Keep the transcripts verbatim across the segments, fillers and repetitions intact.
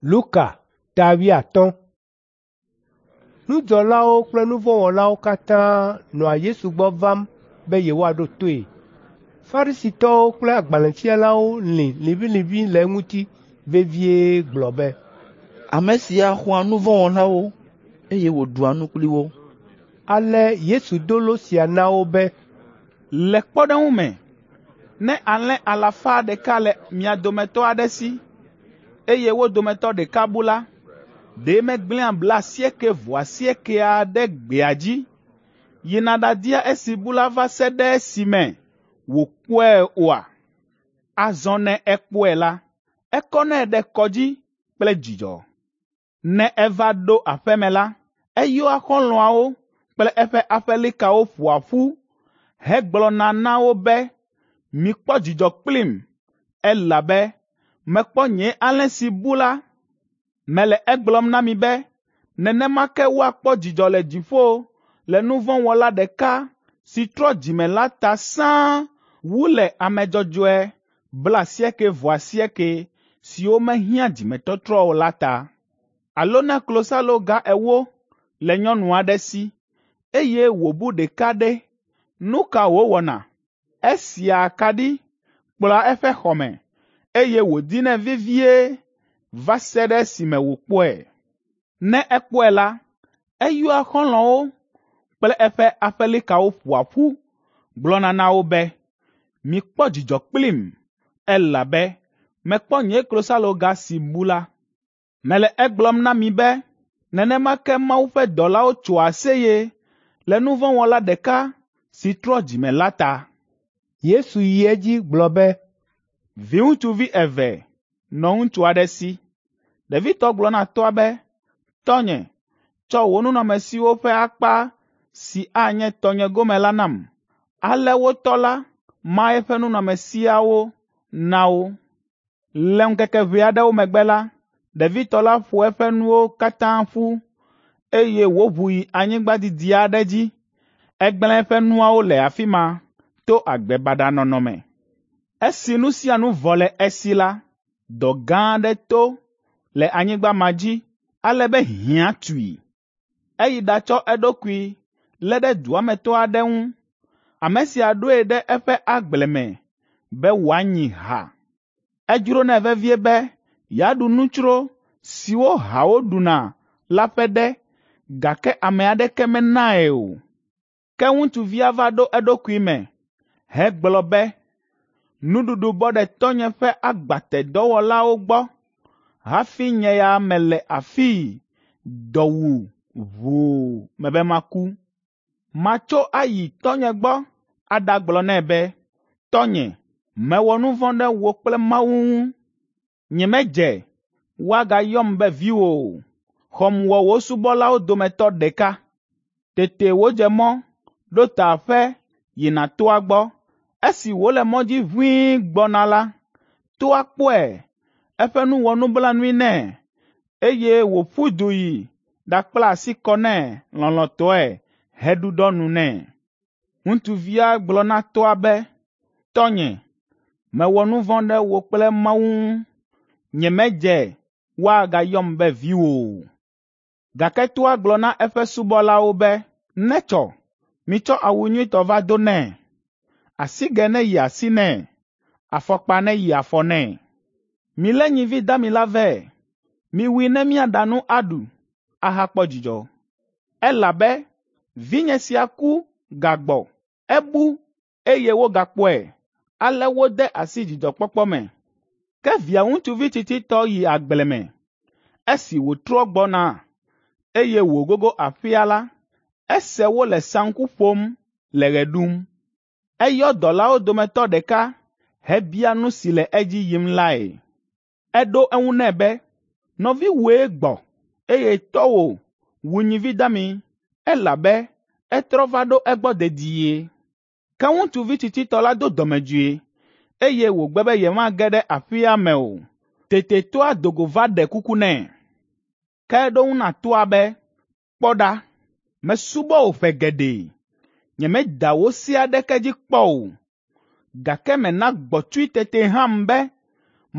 Luka ta wuiatɔ̃. Nudzɔlawo kple nu vɔ̃ wɔlawo katã nɔa Yesu gbɔ vam be yewoaɖo toe. Farisitɔwo kple agbalẽfialawo lĩ liʋĩliʋĩ le eŋuti vevie gblɔ be, “Ame sia xɔa nu vɔ̃ wɔlawo, eye wòɖua nu kpli wo.” Ale Yesu do lo sia na wo be, “Le kpɔɖeŋu me, ne alẽ alafa ɖeka le mia dometɔ aɖe si, eye wo dometɔ ɖeka bu la, ɖe megblẽa blaasiekɛ-vɔ-asiekɛa ɖe gbea dzi, yina ɖadia esi bu la va se ɖe esime wòkpɔe oa? Azɔ ne ekpɔe la, ekɔnɛ ɖe kɔ dzi kple dzidzɔ. Ne eva ɖo aƒe me la, eyɔa xɔlɔ̃awo kple eƒe aƒelikawo ƒoa ƒu hegblɔna na wo be, ‘Mikpɔ dzidzɔ kplim, elabe mekpɔ nye alẽ si bu la.’ Mele egblɔm na mi be nenema ke woakpɔ dzidzɔ le dziƒo le nu vɔ̃ wɔla ɖeka si trɔ dzime la ta sãa wu le ame dzɔdzɔe blaasiekɛ-vɔ-asiekɛ siwo mehiã dzimetɔtrɔ o la ta. Alo ne klosaloga ewo le nyɔnu aɖe si, eye wòbu ɖeka ɖe, nu ka wòwɔna? Esia akaɖi, kplɔa eƒe xɔ me, eye wòdinɛ vevie va se ɖe esime wòkpɔe. Ne ekpɔe la, eyɔa xɔlɔ̃wo kple eƒe aƒelikawo ƒoa ƒu gblɔna na wo be, ‘Mikpɔ dzidzɔ kplim, elabe mekpɔ nye klosaloga si bu la.’ Mele egblɔm na mi be nenema ke Mawu ƒe dɔlawo tsoa aseye le nu vɔ̃ wɔla ɖeka si trɔ dzime la ta.” Yesu yi edzi gblɔ be, “Viŋutsuvi eve nɔ ŋutsu aɖe si. Ɖevitɔ gblɔ na tɔ́a be, ‘Tɔnye, tsɔ wò nunɔamesiwo ƒe akpa si anye tɔnye gome la nam.’ Ale wo tɔ́ la ma eƒe nunɔamesiawo na wo. Le ŋkeke ʋɛ aɖewo megbe la, ɖevitɔ la ƒo eƒe nuwo katã ƒu, eye wòʋu yi anyigba didi aɖe dzi. Egblẽ eƒe nuawo le afi ma to agbe baɖa nɔnɔ me. Esi nu sia nu vɔ le esi la, dɔ gã aɖe to le anyigba ma dzi ale be hiã tui. Eyi ɖatsɔ eɖokui lé ɖe dua me tɔ aɖe ŋu. Ame sia ɖoe ɖe eƒe agble me be wòanyi ha. Edzronɛ vevie be yeaɖu nutsro siwo hawo ɖuna la ƒe ɖe, gake ame aɖeke menae o. Ke ŋutsuvia va ɖo eɖokui me hegblɔ be, ‘Nuɖuɖu bɔ ɖe tɔ́nye ƒe agbatedɔwɔlawo gbɔ hafi nye ya mele afii dɔ wu ʋuu mebe maku. Matso ayi tɔ́nye gbɔ aɖagblɔ nɛ be, Tɔ́nye, mewɔ nu vɔ̃ ɖe wò kple Mawu ŋu. Nyemedze woagayɔm be viwò o. Xɔm wɔ wò subɔlawo dometɔ ɖeka.’ Tete wòdze mɔ ɖo ta aƒe yina toa gbɔ. Esi wòle mɔ dzi ʋĩi gbɔna la, toa kpɔe, eƒe nu wɔ nublanui nɛ, eye wòƒu du yi ɖakpla asi kɔ nɛ lɔlɔ̃tɔe heɖuɖɔ nu nɛ. Ŋutsuvia gblɔ na tɔ́a be, ‘Tɔ́nye, mewɔ nu vɔ̃ ɖe wò kple Mawu ŋu. Nyemedze woagayɔm be viwò o.’ Gake toa gblɔ na eƒe subɔlawo be, ‘Netsɔ, mitsɔ awu nyuitɔ va do nɛ, asigɛ neyi asi nɛ, afɔkpa neyi afɔ nɛ. Milé nyivi dami la vɛ, miwui ne míaɖa nu aɖu, ahakpɔ dzidzɔ. Elabe vinye sia ku gagbɔ, ebu, eye wogakpɔe.’ Ale wode asi dzidzɔkpɔkpɔ me. Ke via ŋutsuvi tsitsitɔ yi agble me. Esi wòtrɔ gbɔna, eye wògogo aƒea la, ese wole saŋku ƒom le ɣe ɖum. Eyɔ dɔlawo dometɔ ɖeka hebia nu si le edzi yim lae. Eɖo eŋu nɛ be, ‘Nɔviwòe gbɔ, eye tɔ́wò wu nyivi dami, elabe etrɔ va ɖo egbɔ dedie.’ Ke ŋutsuvi tsitsitɔ la do dɔmedzoe, eye wògbe be yemage ɖe aƒea me o. Tete tɔ́a do go va ɖe kuku nɛ. Ke eɖo eŋu na tɔ́a be, ‘Kpɔ ɖa, mesubɔ wò ƒe geɖe. Nyemeda wò se aɖeke dzi kpɔ o, gake mèna gbɔ̃tsui tete hãm be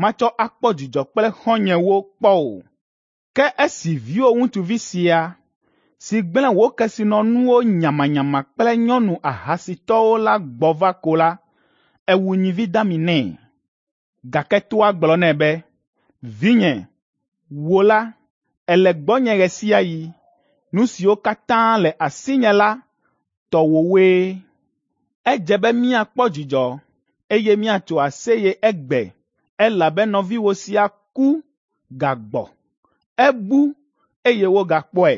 matsɔ akpɔ dzidzɔ kple xɔ̃nyewo kpɔ o. Ke esi viwò ŋutsuvi sia, si gblẽ wò kesinɔnuwo nyamanyama kple nyɔnu ahasitɔwo la gbɔ va ko la, èwu nyivi dami nɛ.’ Gake toa gblɔ nɛ be, ‘Vinye, wò la, èle gbɔnye ɣe sia ɣi. Nu siwo katã le asinye la, tɔwòwoe. Edze be míakpɔ dzidzɔ, eye míatso aseye egbe, elabe nɔviwò sia ku, gagbɔ. Ebu, eye wogakpɔe.’ ”